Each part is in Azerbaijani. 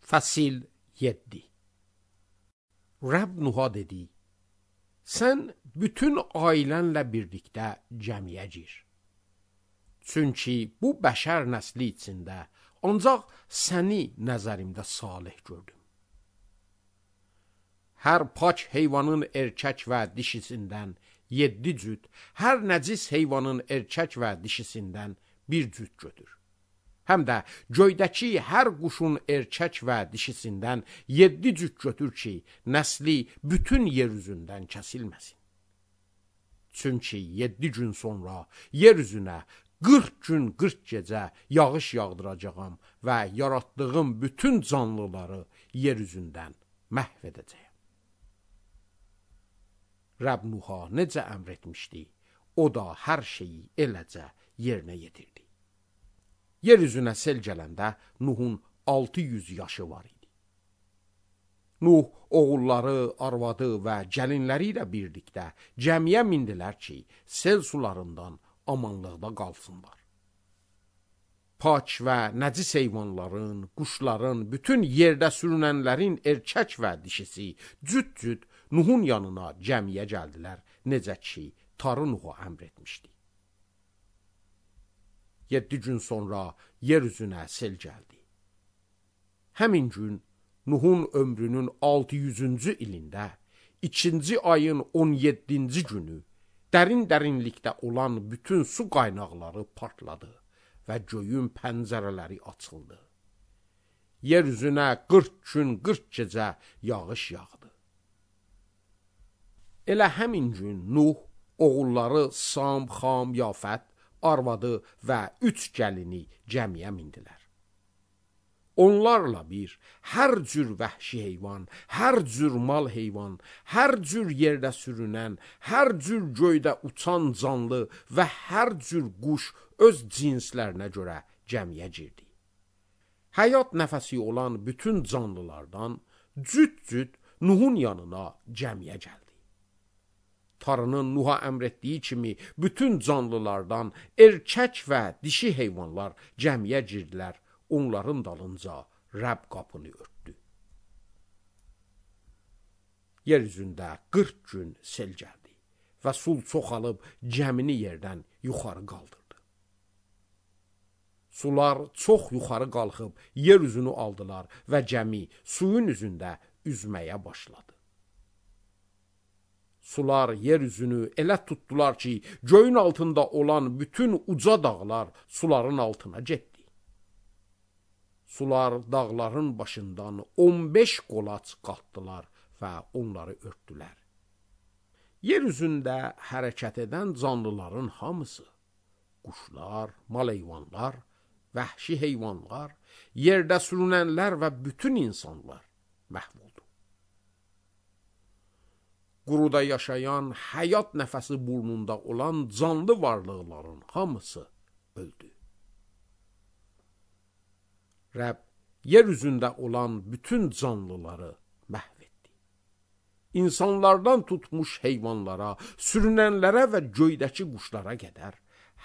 Fəsil 7. Rəbb Nuha dedi: Sən bütün ailənlə birlikdə cəmiyə gir. Çünki bu bəşər nəsli içində ancaq səni nəzərimdə salih gördüm. Hər pak heyvanın erkək və dişisindən 7 cüt, hər nəcis heyvanın erkək və dişisindən 1 cüt götür. Həm də göydəki hər quşun erkək və dişisindən 7 cüt götür ki, nəsli bütün yer üzündən kəsilməsin. Çünki 7 gün sonra yer üzünə 40 gün 40 gecə yağış yağdıracağam və yaratdığım bütün canlıları yer üzündən məhv edəcəyəm. Rəbb Nuha necə əmr etmişdi, o da hər şeyi eləcə yerinə yetirdi. Yer üzünə sel gələndə Nuhun 600 yaşı var idi. Nuh oğulları, arvadı və gəlinləri ilə birlikdə cəmiyə mindilər ki, sel sularından amanlıqda qalsınlar. Pak və nəcis heyvanların, quşların, bütün yerdə sürünənlərin erkək və dişisi cüt-cüt Nuhun yanına cəmiyə gəldilər, necə ki, Tarı Nuha əmr etmişdi. 7 gün sonra yer üzünə sel gəldi. Həmin gün Nuhun ömrünün 600-cü ilində, 2-ci ayın 17-ci günü dərinlikdə olan bütün su qaynaqları partladı və göyün pəncərələri açıldı. Yer üzünə 40 gün 40 gecə yağış yağdı. Elə həmin gün Nuh oğulları Sam, Xam, Yafət, arvadı və 3 gəlini cəmiyə mindilər. Onlarla bir, hər cür vəhşi heyvan, hər cür mal heyvan, hər cür yerdə sürünən, hər cür göydə uçan canlı və hər cür quş öz cinslərinə görə cəmiyə girdi. Həyat nəfəsi olan bütün canlılardan cüt-cüt Nuhun yanına cəmiyə gəldi. Tarının Nuha əmr etdiyi kimi bütün canlılardan erkək və dişi heyvanlar cəmiyə girdilər, onların dalınca Rəbb qapını örtdü. Yer üzündə 40 gün sel gəldi və sul çoxalıb cəmini yerdən yuxarı qaldırdı. Sular çox yuxarı qalxıb yer üzünü aldılar və cəmi suyun üzündə üzməyə başladı. Sular yer üzünü elə tutdular ki, göyün altında olan bütün uca dağlar suların altına getdi. Sular dağların başından 15 qolaç qatdılar və onları örtdülər. Yer üzündə hərəkət edən canlıların hamısı, quşlar, mal heyvanlar, vəhşi heyvanlar, yerdə sürünənlər və bütün insanlar məhv oldu. Quruda yaşayan, həyat nəfəsi burnunda olan canlı varlıqların hamısı öldü. Rəbb yer üzündə olan bütün canlıları məhv etdi. İnsanlardan tutmuş heyvanlara, sürünənlərə və göydəki quşlara qədər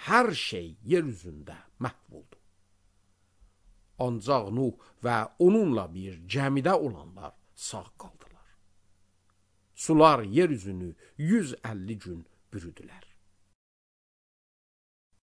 hər şey yer üzündə məhv oldu. Ancaq Nuh və onunla bir cəmidə olanlar sağ qaldılar. Sular yer üzünü 150 gün bürüdülər.